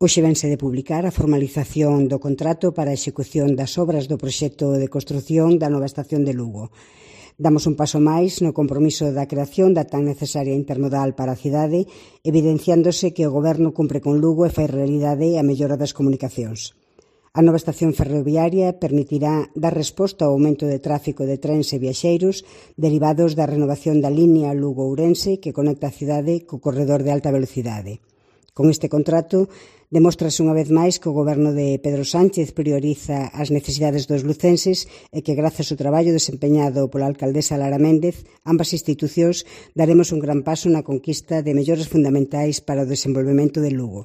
Hoxe vense de publicar a formalización do contrato para a execución das obras do proxecto de construción da nova estación de Lugo. Damos un paso máis no compromiso da creación da tan necesaria intermodal para a cidade, evidenciándose que o Goberno cumpre con Lugo e fai realidade a mellora das comunicacións. A nova estación ferroviaria permitirá dar resposta ao aumento de tráfico de trens e viaxeiros derivados da renovación da liña Lugo-Ourense que conecta a cidade co corredor de alta velocidade. Con este contrato, demóstrase unha vez máis que o Goberno de Pedro Sánchez prioriza as necesidades dos lucenses e que, grazas ao traballo desempeñado pola alcaldesa Lara Méndez, ambas institucións daremos un gran paso na conquista de melloras fundamentais para o desenvolvemento de Lugo.